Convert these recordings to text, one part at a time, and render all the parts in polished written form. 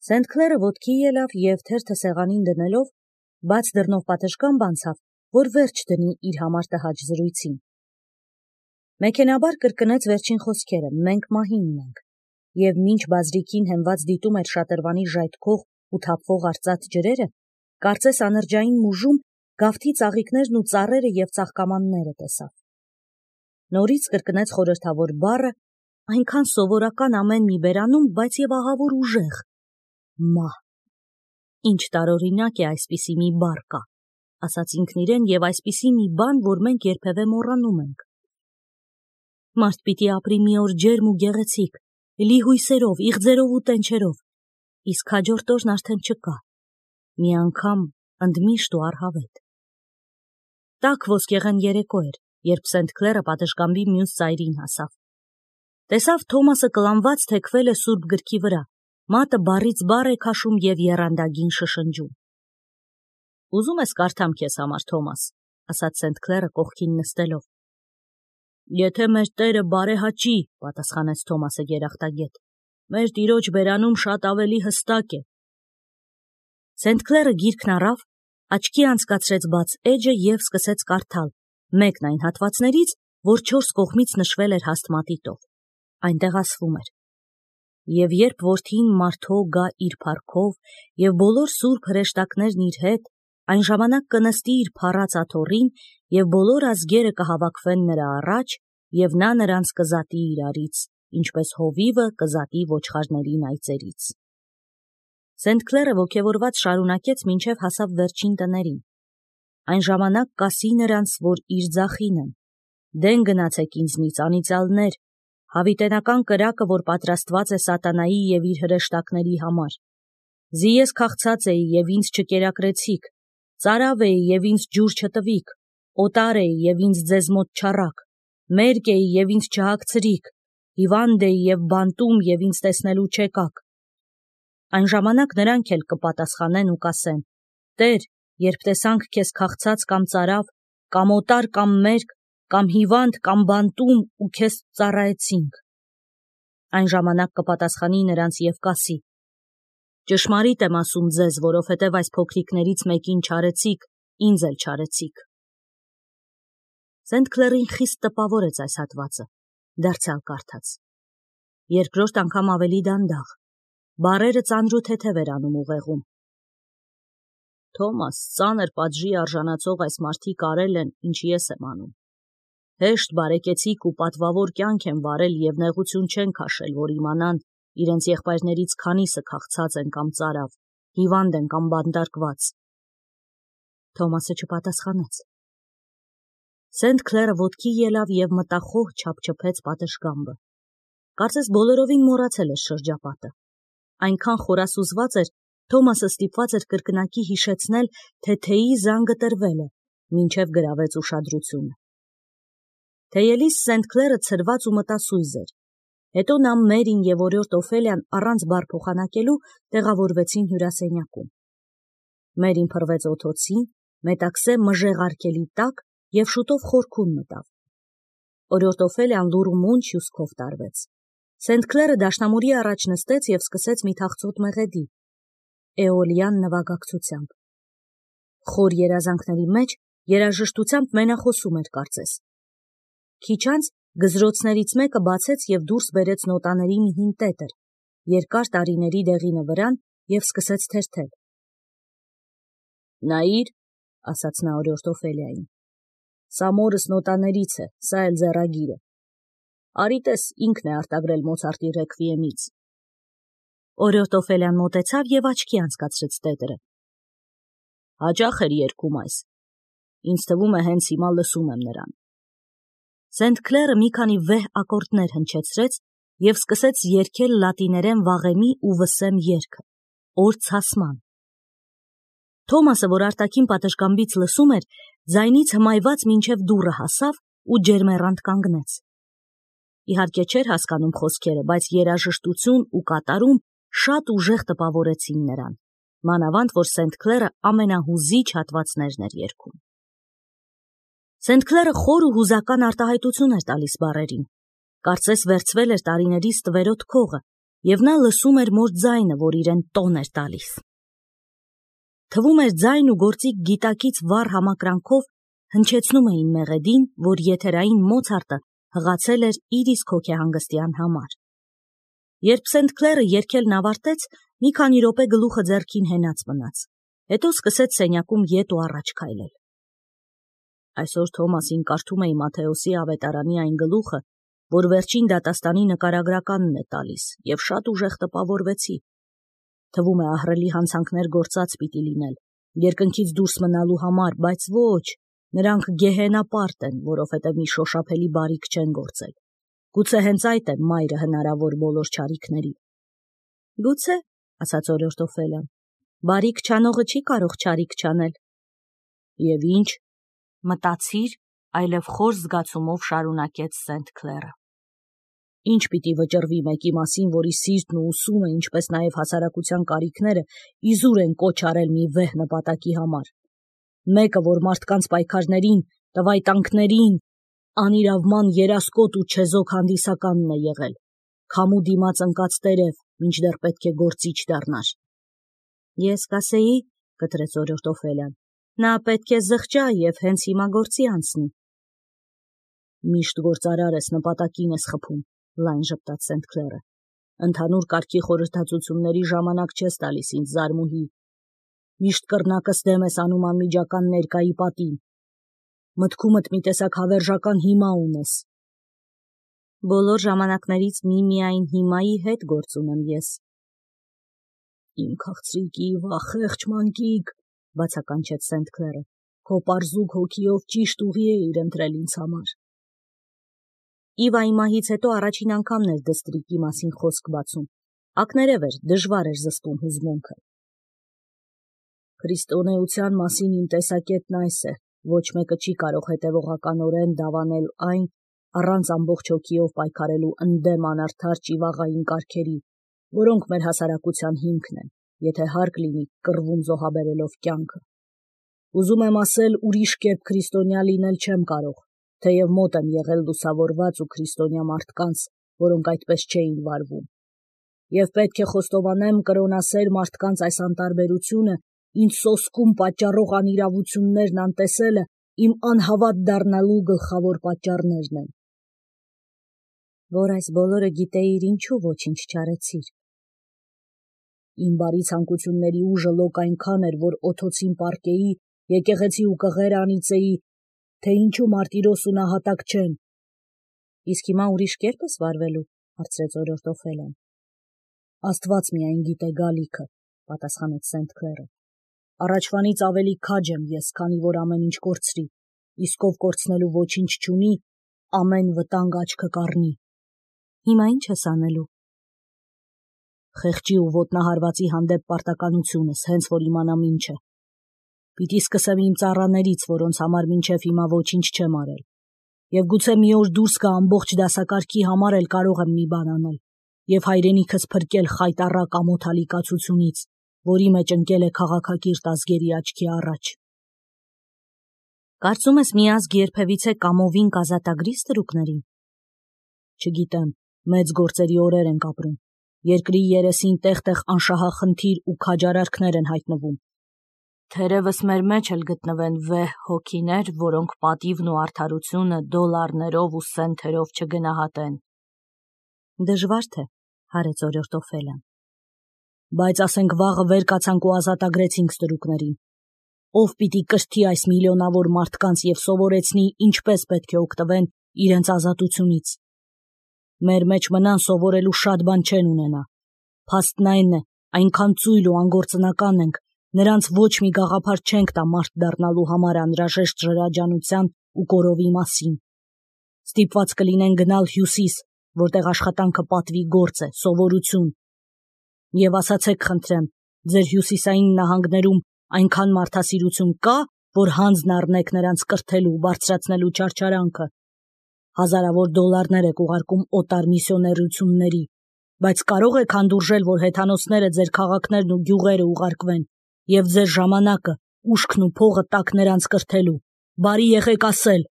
Սենթ Քլերը ոտքի ելավ և թերթը սեղանին դնելով, բաց դռնով պատշգամբ անցավ, որ վերջ դնի իր համար տհաճ զրույցին։ Մեքենաբար կրկնեց վերջին խոսքերը. մենք մահինն ենք, և մինչ բազրիքին հենված դիտում էր շատրվանի ժայթքող ու թափվող արծաթ ջրերը, կարծես անրջային մուժում գավթի ծաղիկներն ու ծառերը և ծաղկամանները տեսավ։ Նորից կրկնեց խորհրդավոր բառը, այնքան սովորական ամեն մի բերանում, բայց և ահավոր ուժեղ. մահ։ Ինչ տարօրինակ է այսպիսի մի բառ կա, ասաց ինքն իրեն, և այսպիսի մի բան, որ մենք երբևէ մոռանում ենք։ Մարդ պիտի ապրի մի օր ջերմ ու գեղեցիկ, լի հույսերով, իղձերով ու տենչերով, իսկ հաջորդ օրն արդեն չկա, մի անգամ ընդմիշտ ու առհավետ։ Տաք ոսկեղեն երեկո էր, երբ Սենթ Քլերը պատշգամբի մյուս ծայրին հասավ։ Տեսավ Թոմասը կլանված թեքվել է սուրբ գրքի վրա, մատը բառից բառ է քաշում և եռանդագին շշնջում։ Ուզում ես կարդամ քեզ համար, Թոմաս, ասաց Սենթ Քլերը կողքին նստելով։ Եթե մեր Տերը բարեհաճի, պատասխանեց Թոմասը երախտագետ, մեր տիրոջ բերանում շատ ավելի հստակ է։ Սենթ Քլերը գիրքն առավ, աչքի անցկացրեց բաց էջը և սկսեց կարդալ, մեկն այն հատվածներից, որ 4 կողմից նշվել էր հաստ մատիտով։ Այնտեղ ասվում էր. Եվ երբ որդին մարդո գա իր փառքով և բոլոր սուրբ հրեշտակներն իր հետ, այն ժամանակ կնստի իր փառած աթոռին և բոլոր ազգերը կհավաքվեն նրա առաջ և նա նրանց կզատի իրարից, ինչպես հովիվը կզատի ոչխարներին այծերից։ Սենթ Քլերը ոգևորված շարունակեց մինչև հասավ վերջին տներին։ Այն ժամանակ կասի նրանց, որ իր ձախին են. դեն գնացեք ինձնից անիծյալներ, հավիտենական կրակը, որ պատրաստված է սատանայի և իր հրեշտակների համար։ Զի ես քաղցած էի և ինձ չկերակրեցիք, ծարավ էի և ինձ ջուր չտվիք, օտար էի և ինձ ձեզ մոտ չառաք, մերկ էի և ինձ չհագցրիք, հիվանդ էի և բանտում և ինձ տեսնելու չեկաք։ Այն ժամանակ նրանք էլ կպատասխանեն ու կասեն. Տեր, երբ տեսանք քեզ քաղցած կամ ծարավ, կամ օտար կամ մերկ, կամ հիվանդ կամ բանտում ու քեզ ծառայեցինք։ Այն ժամանակ կպատասխանի նրանց և կասի. ճշմարիտ եմ ասում ձեզ, որովհետև այս փոքրիկներից մեկին չարեցիք, ինձ էլ չարեցիք։ Սենթ Քլերին խիստ տպավորեց այս հատվածը, դարձյալ կարդաց։ Երկրորդ անգամ ավելի դանդաղ, բառերը ծանրութեթև էր անում ուղեղում։ Թոմաս, ծանր պատժի արժանացող այս մարդիկ արել են, ինչ ես եմ անում։ Հեշտ բարեկեցիկ ու պատվավոր կյանք են վարել և նեղություն չեն քաշել, որ իմանան իրենց եղբայրներից քանիսը քաղցած են կամ ծարավ, հիվանդ են կամ բանտարկված։ Թոմասը չպատասխանեց։ Սենթ Քլերը ոտքի ելավ և մտախոհ չափչփեց պատշգամբը։ Կարծես բոլորովին մոռացել էր շրջապատը։ Այնքան խորասուզված էր, Թոմասը ստիպված էր կրկնակի հիշեցնել, թե թեյի զանգը տրվել է, մինչև գրավեց ուշադրությունը։ Թեյելիս Սենթ Քլերը ցրված ու մտասույզ էր։ Հետո նա Մերին և օրիորդ Օֆելիան առանց բառ փոխանակելու տեղավորվեցին հյուրասենյակում։ Մերին փռվեց օդոցին, մետաքսե մժեղարկելի տակ և շուտով խորքուն մտավ։ Օրիորդ Օֆելիան լուռ ու մունջ հյուսքով տարվեց։ Սենթ Քլերը դաշնամուրի առաջ նստեց և սկսեց մի թախծոտ մեղեդի, էոլյան նվագակցությամբ։ Խոր երազանքների մեջ երաժշտությամբ մենախոսում էր կարծես։ Քիչ անց գզրոցներից մեկը բացեց և դուրս բերեց նոտաների մի հին տետր, երկար տարիների դեղինը վրան և սկսեց թերթել։ Նայիր, ասաց նա օրիորդ Օֆելիային, սա մորս նոտաներից է, սա էլ ձեռագիրը։ Արի տես, ինքն է արտագրել Մոցարտի ռեքվիեմից։ Օրիորդ Օֆելիան մոտեցավ և աչքի անցկացրեց տետրը։ Հաճախ էր երգում այս։ Ինձ թվում է հենց հիմա լսում եմ նրան։ Սենթ Քլերը մի քանի վեհ ակորդներ հնչեցրեց և սկսեց երգել լատիներեն վաղեմի ու վսեմ երգը, օր ցասման։ Թոմասը, որ արտաքին պատշգամբից լսում էր, ձայնից հմայված մինչև դուռը հասավ ու ջերմեռանդ կանգնեց։ Իհարկե չէր հասկանում խոսքերը, բայց երաժշտություն ու կատարում շատ ուժեղ տպավորեցին նրան, մանավանդ որ Սենթ Քլերը ամենահուզիչ հատվածներն էր երգում։ Սենթ Քլերը խոր ու հուզական արտահայտություն էր տալիս բառերին, կարծես վերցվել էր տարիների ստվերոտ քողը և նա լսում էր մոր ձայնը, որ իրեն տոն էր տալիս։ Թվում էր ձայն ու գործիկ գիտակից վառ համակրանքով հնչեցնում էին մեղեդին, որ եթերային Մոցարտը հղացել էր իր իսկ հոգեհանգստյան համար։ Երբ Սենթ Քլերը երգելն ավարտեց, մի քանի րոպե գլուխը ձեռքին հենած մնաց, հետո սկսեց սենյակում ետ ու առաջ քայլել։ Այսօր Թոմասին կարդում էի Մատթեոսի ավետարանի այն գլուխը, որ վերջին դատաստանի նկարագրականն է տալիս, և շատ ուժեղ տպավորվեցի։ Թվում է ահռելի հանցանքներ գործած պիտի լինել, երկնքից դուրս մնալու համար, բայց ոչ, նրանք գեհենապարտ են, որովհետև մի շոշափելի բարիք չեն գործել։ Գուցե հենց այդ է մայրը հնարավոր բոլոր չարիքների։ Գուցե, ասաց օրորդ Օֆելիան, բարիք չանողը չի կարող չարիք չանել։ Եվ ինչ, մտածիր, այլև խոր զգացումով շարունակեց Սենթ Քլերը։ Ինչ պիտի վճռվի մեկի մասին, որի սիրտն ու ուսումը, ինչպես նաև հասարակության կարիքները իզուր են կոչ արել մի վեհ նպատակի համար։ Մեկը, որ մարդկանց պայքարներին, տվայտանքներին, անիրավման երասկոտ ու չեզոք հանդիսականն է եղել, քամու դիմաց ընկած տերև, մինչդեռ պետք է գործիչ դառնար։ Ես կասեի, կտրեց օրորդ Օֆելիան, նա պետք է զղջա և հենց հիմա գործի անցնի։ Միշտ գործարար ես, նպատակին ես խփում, լայն ժպտաց Սենթ Քլերը։ Ընդհանուր կարգի խորհրդածությունների ժամանակ չես տալիս ինձ զարմուհի։ Միշտ կռնակս դեմ ես անում անմիջական ներկայի պատին։ Մտքումդ մի տեսակ հավերժական հիմա ունես։ Բոլոր ժամանակներից միմիայն հիմայի հետ գործ ունեմ ես։ Իմ քաղցրիկի վախեղճ մանկիկ, բացականչեց Սենթ Քլերը, քո պարզուկ հոգիով ճիշտ ուղի էիր ընտրել ինձ համար։ Իվայի մահից հետո առաջին անգամն էր դստրիկի մասին խոսք բացում, ակներև էր, դժվար էր զսպում հուզմունքը։ Քրիստոնեության մասին իմ տեսակետն այս է, ոչ մեկը չի կարող հետևողականորեն դավանել այն, առանց ամբողջ հոգիով պայքարելու ընդդեմ անարդար ճիվաղային կարգերի, որոնք մեր հասարակության հիմքն են, եթե հարկ լինի կռվում զոհաբերելով կյանքը։ Ուզում եմ ասել, ուրիշ կերպ քրիստոնյա լինել չեմ կարող, թեև մոտ եմ եղել լուսավորված ու քրիստոնյա մարդկանց, որոնք այդպես չէին վարվում։ Եվ պետք է խոստովանեմ, կրոնասեր մարդկանց այս անտարբերությունը, ինձ սոսկում պատճառող անիրավություններն անտեսելը իմ անհավատ դառնալու գլխավոր պատճառներն են։ Որ այս բոլորը գիտեիր, ինչու ոչինչ չարեցիր։ Իմ բարի ցանկությունների ուժը լոկ այնքան էր, որ օթոցին պառկեի, եկեղեցի ու կղեր անիծեի, թե ինչու մարտիրոս ու նահատակ չեն։ Իսկ հիմա ուրիշ կերպ ես վարվելու, հարցրեց օրորդ Օֆելիան։ Աստված միայն գիտե գալիքը, պատասխանեց Սենթ Քլերը։ Առաջվանից ավելի քաջ եմ ես, քանի որ ամեն ինչ կորցրի, իսկ ով կորցնելու ոչինչ չունի, ամեն վտանգ աչքը կառնի։ Հիմա ինչ ես անելու։ Խեղճի ու ոտնահարվածի հանդեպ պարտականությունս, հենց որ իմանամ ինչ է։ Պիտի սկսեմ իմ ծառաներից, որոնց համար մինչև հիմա ոչինչ չեմ արել։ Եվ գուցե մի օր դուրս գա ամբողջ դասակարգի համար էլ կարող եմ մի բան անել, և հայրենիքս փրկել խայտառակ ամոթալի կացությունից, որի մեջ ընկել է քաղաքակիրթ ազգերի աչքի առաջ։ Կարծում ես մի ազգ երբևիցե կամովին կազատագրի ստրուկներին։ Չգիտեմ, մեծ գործերի օրեր ենք ապրում։ Երկրի երեսին տեղ-տեղ անշահախնդիր ու քաջարարքներ են հայտնվում։ Թերևս մեր մեջ էլ գտնվեն վեհ հոգիներ, որոնք պատիվն ու արդարությունը դոլարներով ու սենթերով չգնահատեն։ Դժվար թե, հարեց օրորդ Օֆելիան։ Բայց ասենք վաղը վեր կացանք ու ազատագրեցինք ստրուկներին։ Ով պիտի կրթի այս միլիոնավոր մարդկանց և սովորեցնի, ինչպես պետք է օգտվեն իրենց ազատությունից։ Մեր մեջ մնան սովորելու շատ բան չեն ունենա։ Փաստն այն է, այնքան ծույլ ու անգործնական ենք, նրանց ոչ մի գաղափար չենք տա մարդ դառնալու համար անհրաժեշտ ժրաջանության ու կորովի մասին։ Ստիպված կլինեն գնալ հյուսիս, որտեղ աշխատանքը պատվի գործ է, սովորություն։ Եվ ասացեք խնդրեմ, ձեր հյուսիսային նահանգներում այնքան մարդասիրություն կա, որ հանձն առնեք նրանց կրթելու, բարձրացնելու չարչարանքը։ Հազարավոր դոլարներ եք ուղարկում օտար միսիոներությունների, բայց կարող եք հանդուրժել, որ հեթանոսները ձեր քաղաքներն ու գյուղերը ուղարկվեն, և ձեր ժամանակը, ուշքն ու փողը տաք նրանց կրթելու։ Բարի եղեք ասել,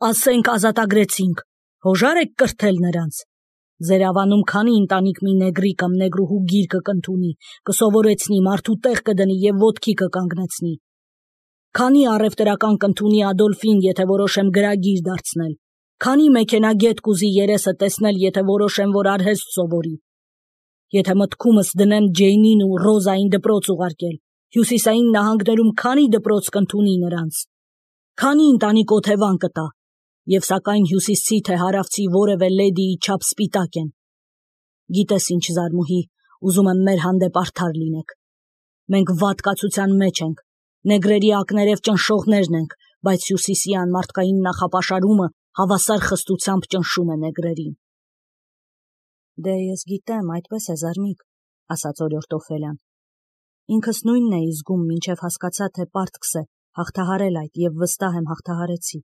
ասենք ազատագրեցինք, հոժար եք կրթել նրանց։ Ձեր ավանում քանի ընտանիք մի նեգրի կամ նեգրուհու գիրկը կընդունի, կսովորեցնի, մարդու տեղ կդնի եւ ոտքի կկանգնեցնի։ Քանի առևտրական կընդունի Ադոլֆին, եթե որոշեմ գրագիր դարձնել։ Քանի մեքենագետ կուզի երեսը տեսնել, եթե որոշեմ, որ արհեստ սովորի։ Եթե մտքումս դնեմ Ջեյնին ու Ռոզային դպրոց ուղարկել, հյուսիսային նահանգներում քանի դպրոց կընդունի նրանց։ Քանի ընտանիք օթևան կտա, եւ սակայն հյուսիսցի թե հարավցի որևէ լեդիի չափ սպիտակ են։ Գիտես ինչ, Զարմուհի, ուզում եմ մեր հանդեպ արդար լինեք։ Մենք վատկացության մեջ ենք, նեգրերի ակներև ճնշողներն ենք, բայց հյուսիսի անմարդկային նախապաշարումը հավասար խստությամբ ճնշում է նեգրերին։ Դե ես գիտեմ, այդպես է, Զարմիկ, ասաց օրիորդ Օֆելյան։ Ինքս նույնն էի զգում, մինչև հասկացա, թե պարտքս է հաղթահարել այդ, եւ վստահ եմ հաղթահարեցի։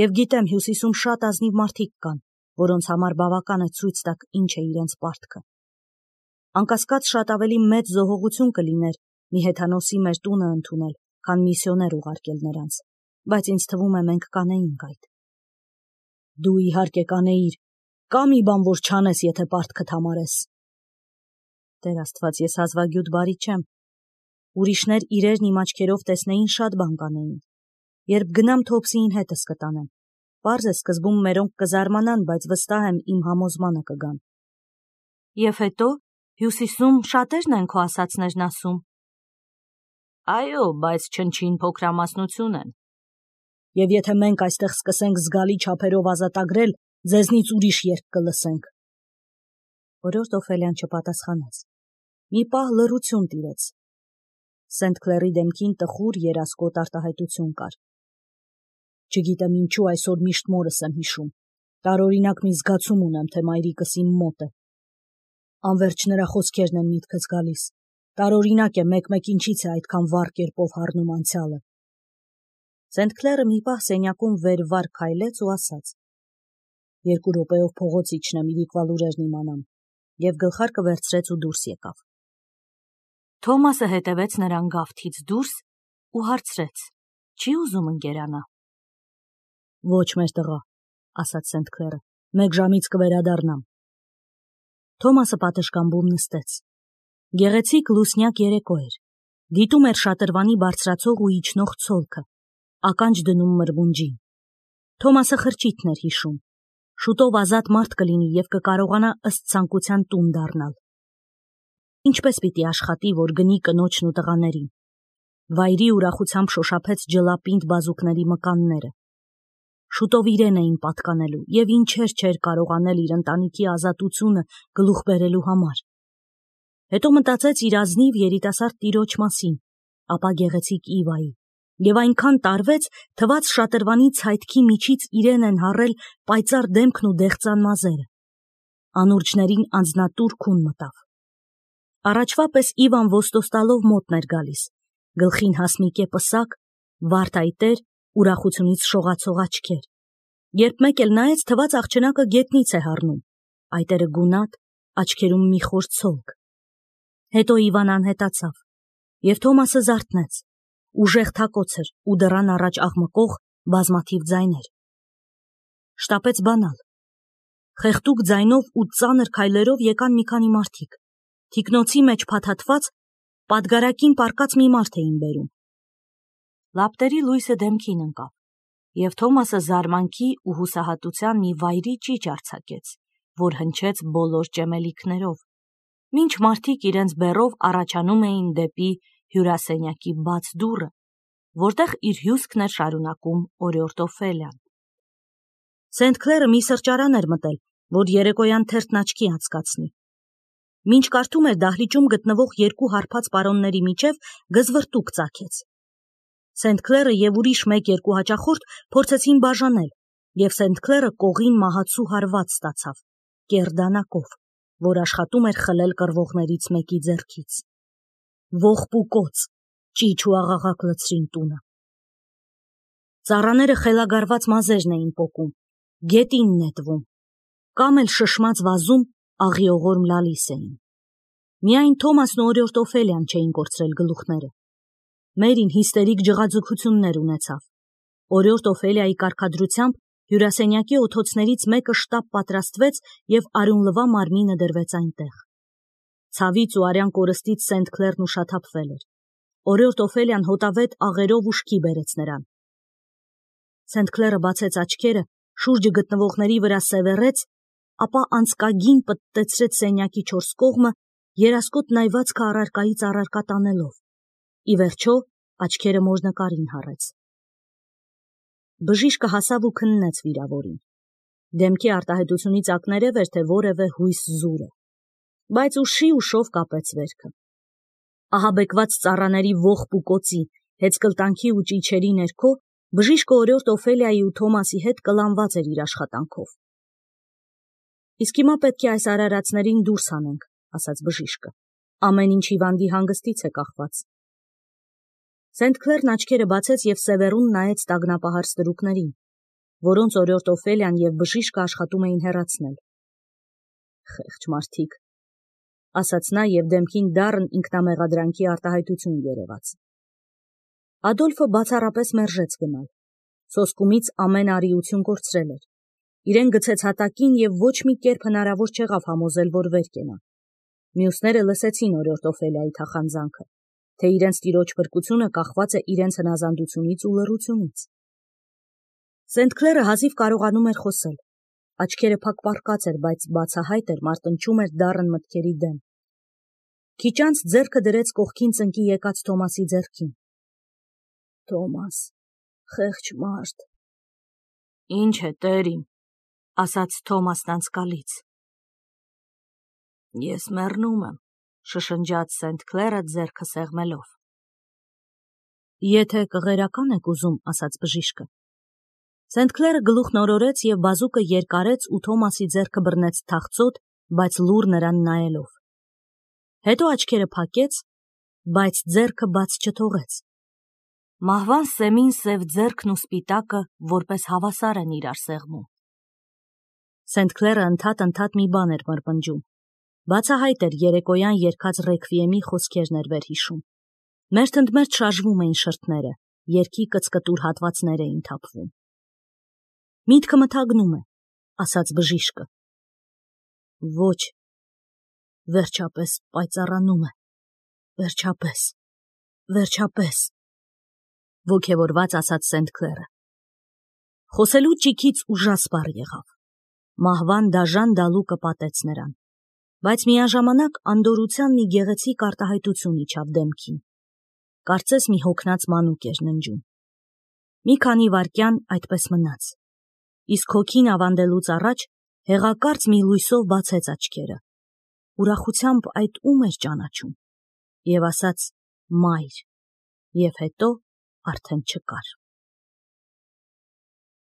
Եվ գիտեմ, հյուսիսում շատ ազնիվ մարդիկ կան, որոնց համար բավական է ցույց տաք ինչ է իրենց պարտքը։ Անկասկած շատ ավելի մեծ զոհողություն կլիներ մի հեթանոսի մեր տունը ընդունել, քան միսիոներ ուղարկել նրանց, բայց ինձ թվում է մենք կանեինք այդ։ Դու իհարկե կանեիր, կա մի բան, որ չանես, եթե պարտքդ համարես։ Տեր Աստված, ես հազվագյուտ բարի չեմ։ Ուրիշներ իրերն իմ աչքերով տեսնեին, շատ բան կանեին։ Երբ գնամ Թոփսիին հետս կտանեմ։ Պարզ է, սկզբում մերոնք կզարմանան, բայց վստահ եմ իմ համոզմանը կգան։ Եվ հետո հյուսիսում շատերն են քո ասածներն ասում։ Այո, բայց չնչին փոքրամասնություն են։ Եվ եթե մենք այստեղ սկսենք զգալի չափերով ազատագրել, ձեզնից ուրիշ երգ կլսենք։ Օրիորդ Օֆելյան չպատասխանեց։ Մի պահ լռություն տիրեց։ Սենթ Քլերի դեմքին տխուր երասկոտ արտահայտություն կար։ Չգիտեմ ինչու այսօր միշտ մորս եմ հիշում։ Տարօրինակ մի զգացում ունեմ, թե մայրիկս իմ մոտ է։ Անվերջ նրա խոսքերն են միտքս գալիս։ Տարօրինակ է մեկ-մեկ ինչից է այդքան վառ կերպով հառնում անցյալը։ Սենթ Քլերը մի պահ սենյակում վեր-վար քայլեց ու ասաց. 2 րոպեով փողոց իջնեմ, իրիկվա լուրերն իմանամ, եւ գլխարկը վերցրեց ու դուրս եկավ։ Թոմասը հետևեց նրան գավթից դուրս ու հարցրեց. Չի ուզում ընկերանա։ Ոչ, մեր տղա, ասաց Սենթ Քլերը, 1 ժամից կվերադառնամ։ Թոմասը պատշգամբում նստեց։ Գեղեցիկ լուսնյակ երեկո էր։ Դիտում էր շատրվանի բարձրացող ու իջնող ցոլքը, ականջ դնում մրմունջին։ Թոմասը խրճիթն էր հիշում։ Շուտով ազատ մարդ կլինի եւ կկարողանա ըստ ցանկության տուն դառնալ։ Ինչպես պիտի աշխատի, որ գնի կնոջն ու տղաներին։ Վայրի ուրախությամբ շոշափեց ջլապինդ բազուկների մկանները։ Շուտով իրեն էին պատկանելու եւ ինչեր չէր կարողանել իր ընտանիքի ազատությունը գլուխ բերելու համար։ Հետո մտածեց իր ազնիվ երիտասարդ տիրոջ մասին, ապա գեղեցիկ Իվայի, եւ այնքան տարվեց, թվաց շատրվանի ցայտքի միջից իրեն են հառել պայծառ դեմքն ու դեղծան մազերը։ Անուրջներին անձնատուր քուն մտավ։ Առաջվա պես Իվան ոստոստալով մոտն էր գալիս, գլխին հասմիկե պսակ, վարդայտեր, ուրախությունից շողացող աչքեր։ Երբ մեկ էլ նայեց, թվաց աղջնակը գետնից է հառնում, այտերը գունատ, աչքերում մի խոր ցոլք։ Հետո Իվան անհետացավ, եւ Թոմասը զարթնեց, ուժեղ թակոց էր ու դռան առաջ աղմկող բազմաթիվ ձայներ։ Շտապեց բանալ։ Խեղդուկ ձայնով ու ծանր քայլերով եկան մի քանի մարդիկ։ Թիկնոցի մեջ փաթաթված, պատգարակին պառկած մի մարդ էին բերում։ Լապտերի լույսը դեմքին ընկավ, եւ Թոմասը զարմանքի ու հուսահատության մի վայրի ճիճ արձակեց, որ հնչեց բոլոր ճեմելիքներով, մինչ մարդիկ իրենց բեռով առաջանում էին դեպի հյուրասենյակի բաց դուռը, որտեղ իր հյուսքն էր շարունակում օրիորդ Օֆելյան։ Սենթ Քլերը մի սրճարան էր մտել, որ երեկոյան թերթն աչքի անցկացնի։ Մինչ կարդում էր դահլիճում գտնվող 2 հարբած պարոնների միջև գզվրտուկ ծագեց։ Սենթ Քլերը եւ ուրիշ 1-2 հաճախորդ փորձեցին բաժանել, եւ Սենթ Քլերը կողին մահացու հարված ստացավ, կեռ դանակով, որ աշխատում էր խլել կռվողներից մեկի ձեռքից։ Ողբ ու կոծ, ճիչ ու աղաղակ լցրին տունը։ Ծառաները խելագարված մազերն էին պոկում, գետին նետվում, կամ էլ շշմած վազում աղիողորմ լալիս էին։ Միայն Թոմասն ու օրիորդ Օֆելյան չէին կորցրել գլուխները։ Մերին հիստերիկ ջղաձգություններ ունեցավ։ Օրիորդ Օֆելիայի կարգադրությամբ Հյուրասենյակի օթոցներից մեկը շտապ պատրաստվեց և արյունլվա մարմինը դրվեց այնտեղ։ Ցավից ու արյան կորստից Սենտ Քլերն ուշաթափվել էր։ Օրիորդ Օֆելիան հոտավետ աղերով ուշքի բերեց նրան։ Սենտ Քլերը բացեց աչքերը, շուրջը գտնվողների վրա սևեռեց, ապա անցկագին պտտեցրեց սենյակի չորս կողմը, երասկոտ նայվածքը առարկայից առարկա տանելով։ Ի վերջո աչքերը մոր նկարին հառեց։ Բժիշկը հասավ ու քննեց վիրավորին։ Դեմքի արտահայտությունից ակներև էր, թե որևէ հույս զուր է, բայց ուշով կապեց վերքը։ Ահաբեկված ծառաների ողբ ու կոցի, հեծկլտանքի ու ճիչերի ներքո բժիշկը օրիորդ Օֆելիայի ու Թոմասի հետ կլանված էր իր աշխատանքով։ Իսկ հիմա պետք է այս արարածներին դուրս հանենք, ասաց բժիշկը։ Ամեն ինչ հիվանդի հանգստից է կախված։ Սենտ Քլերն աչքերը բացեց և սևեռուն նայեց տագնապահար ստրուկներին, որոնց օրիորդ Օֆելիան և բժիշկը աշխատում էին հեռացնել։ Խեղճ մարդիկ, ասաց նա և դեմքին դառն ինքնամեղադրանքի արտահայտություն երևաց։ Ադոլֆը բացառապես մերժեց գնալ։ Սոսկումից ամեն արիություն կորցրել էր։ Իրեն գցեց հատակին և ոչ մի կերպ հնարավոր չեղավ համոզել, որ վեր կենա։ Մյուսները լսեցին օրիորդ Օֆելիայի թախանձանքը, թե իրենց տիրոջ փրկությունը կախված է իրենց հնազանդությունից ու լռությունից։ Սենտ Քլերը հազիվ կարողանում էր խոսել։ Աչքերը փակպառկած էր, բայց բացահայտ էր, մարտնչում էր դառն մտքերի դեմ։ Քիչ անց ձեռքը դրեց կողքին ծնկի եկած Թոմասի ձեռքին։ Թոմաս, խեղճ մարդ։ Ինչ է, տեր իմ, ասաց Թոմասն անցկալից։ Ես մեռնում եմ, շշնջաց Սենտ Քլերը ձեռքը սեղմելով։ Եթե կղերական եք ուզում, ասաց բժիշկը։ Սենտ Քլերը գլուխն օրորեց և բազուկը երկարեց ու Թոմասի ձեռքը բռնեց թախծոտ, բայց լուռ նրան նայելով։ Հետո աչքերը փակեց, բայց ձեռքը բաց չթողեց։ Մահվան սեմին սև ձեռքն ու սպիտակը որպես հավասար են իրար սեղմում։ Սենտ Քլերը ընդհատ մի բան էր մրմնջում։ Բացահայտ էր երեկոյան երգած ռեքվիեմի խոսքերն էր վերհիշում։ Մերթընդմերթ շարժվում էին շրթները, երգի կծկտուր հատվածներ էին թափվում։ Միտքը մթագնում է, ասաց բժիշկը։ Ոչ, վերջապես պայծառանում է, վերջապես, ոգևորված ասաց Սենտ Քլերը։ Խոսելու ճիքից ուժասպառ եղավ։ Մահվան դաժան դալուկը պատեց նրան, բայց միաժամանակ անդորրության մի գեղեցիկ արտահայտություն իջավ դեմքին։ Կարծես մի հոգնած մանուկ էր ննջում։ Մի քանի վայրկյան այդպես մնաց, իսկ հոգին ավանդելուց առաջ հեղակարծ մի լույսով բացեց աչքերը, ուրախությամբ այդ ում էր ճանաչում, և ասաց՝ մայր, և հետո արդեն չկար։